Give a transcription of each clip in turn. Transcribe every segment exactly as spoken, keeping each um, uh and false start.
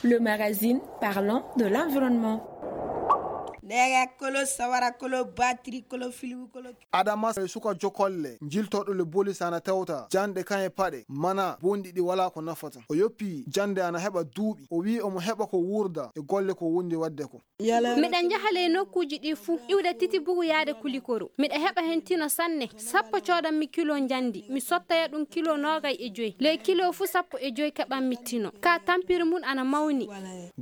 Le magazine parlant de l'environnement. Nega kolo, sawara kolo, batterie kolo, film kolo. Adama e suka jokolle, jiltoɗo le bolis ana tewta, jande kan e paɗe, mana bonɗi ɗi wala ko nafata. O yoppi jande ana heɓa duuɓi. O wi omo heɓa ko wurda e golle ko wondi wadde ko. Miɗa njaha ley nokkuuji ɗi fuu, iwde titi bugu yaade kulikoro. Miɗa heɓa heen tino sanne, sappo coodanmi kilo njandi, mi sottaya ɗum kilo noogay e joy. Ley kilo fuu sappo e joy keɓanmi tino. Ka tampiri mum ana mawni.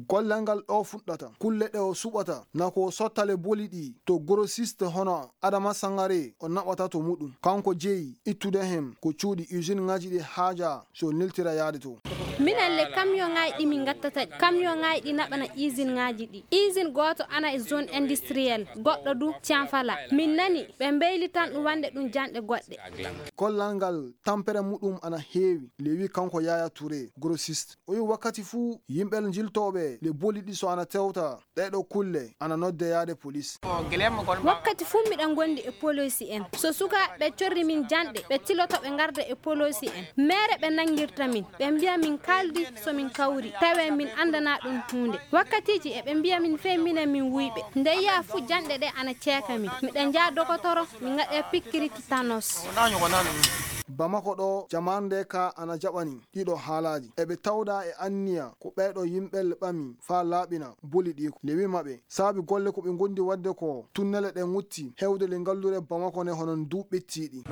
Gollal ngal ɗo fuɗɗata, kulle ɗe o suɓata, na ko o sottale boli ɗi to grossiste hono Adama Sangare o naɓata to muɗum. Kanko jeyi ittude heen ko cuuɗi usine ŋaaji ɗi haaja so neltira yaade to. Minen le camion ŋaaji ɗi min ngattata ɗi. Camion ŋaaji ɗi naɓana usine ŋaaji ɗi. Usine gooto ana e zone industrielle, goɗɗo du Tianfala. Min nani ɓe mbeylitan ɗum wande ɗum janɗe goɗɗe. Gollal ngal tampere muɗum ana heewi, le wi kanko Yaya Touré, grossiste. O wi wakkati fuu yimɓe jiltooɓe le boli ɗi so ana tewta, ɗee ɗo kulle ana nodde yaade polis. Wakkati fuu miɗa ngondi e polisi en. So sukaaɓe ɓe corri min janɗe, ɓe tiloto ɓe ngarda e polisi en. Meere ɓe nangirta min, ɓe mbiya min kaaldi so min kawri, tawe min andana ɗum huunde. Wakkatiiji eɓe mbiya min fey minen min wuyɓe. Nde yiya fuu janɗe ɗe ana ceeka min. Miɗa njaha dokotoro, mi ngaɗe pikkiri titanos. Bamako ɗo, jamaanu nde ka ana jaɓani ɗiɗo haalaaji. Eɓe tawda e anniya ko ɓeeɗo yimɓe le ɓami faa laaɓina boli ɗi ko. Le wi maɓɓe, saabi golle ko ɓe ngondi wadde ko, tunnele ɗe ŋutti hewde le ngallure Bamako ne hono ndu ɓettiiɗi.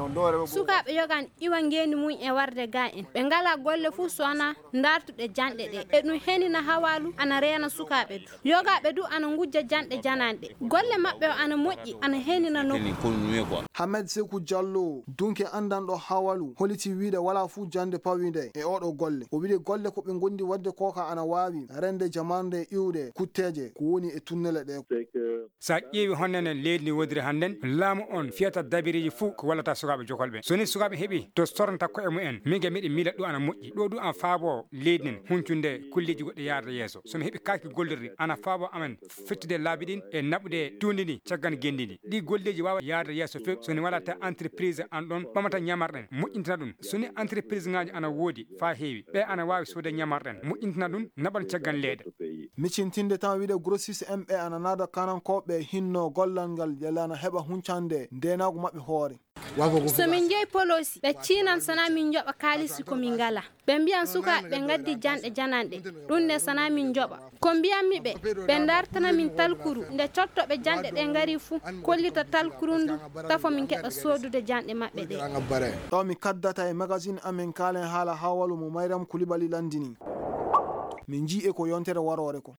Sukaaɓe yogan iwa ngeendi mum e warde ga en. Ɓe ngala golle fuu so ana ndartude janɗe ɗe. E ɗum henina hawaalu ana reena sukaaɓe du. Yogaaɓe du ana ngujja janɗe jananɗe. Golle maɓɓe o ana moƴƴi, ana henina nokku. Hamed Seku Jallo, dunke andanɗo hawalu, holiti wiide wala fuu jande pawinde e oɗo golle. O wiide golle ko ɓe ngondi wadde kooka ana waawi rende jamarnde iwde kutteeje ko woni e tunnele ɗe. Sa ƴeewi honno nen leydi ndi wodiri hannden, laamu on fiyata dabireeji fuu ko wallata sukaaɓe jokol ɓe. So ni sukaaɓe heɓi to sornata ko'e mumen, min ga miɗen miila ɗo ana moƴƴi. Ɗo du ana faabo leydi nden huncunde kulleeji goɗɗi yaarde yeeso. So mi heɓi kaaki gollirɗi, ana faabo amen fettude laabi ɗin e naɓude tuundi ndi caggal ngenndi ndi. Ɗi golleeji waawa yaarde yeeso few so ni wala ta entreprise an ɗon ɓamata ñamarɗen, moƴƴintina ɗum. So ni entreprise ŋaaji ana woodi faa heewi, ɓe ana waawi soode ñamarɗen, moƴƴintina ɗum, naɓan caggal leeda. Micintinde tan wiide grossiste en ɓe ana naada kanankooɓe hinno gollal ngal yalla ana heɓa huncande ndeenaagu maɓɓe hoore. So min njehi poloosi, ɓe ciinan sana min njoɓa kaalisi ko min ngala. Ɓe mbiyan sukaaɓe ɓe ngaddi janɗe jananɗe. Ɗum ne sana min njoɓa. Ko mbiyanmi ɓe, ɓe ndartana min talkuru. Nde cottoɓe janɗe ɗe ngari fuu, kollita talkuru ndu, tafo min keɓa soodude janɗe maɓɓe ɗe. Ɗo mi kaddata e magazine amen kaalen haala hawalu mo Mayram Kulibali landini. Min njii e ko yontere waroore ko.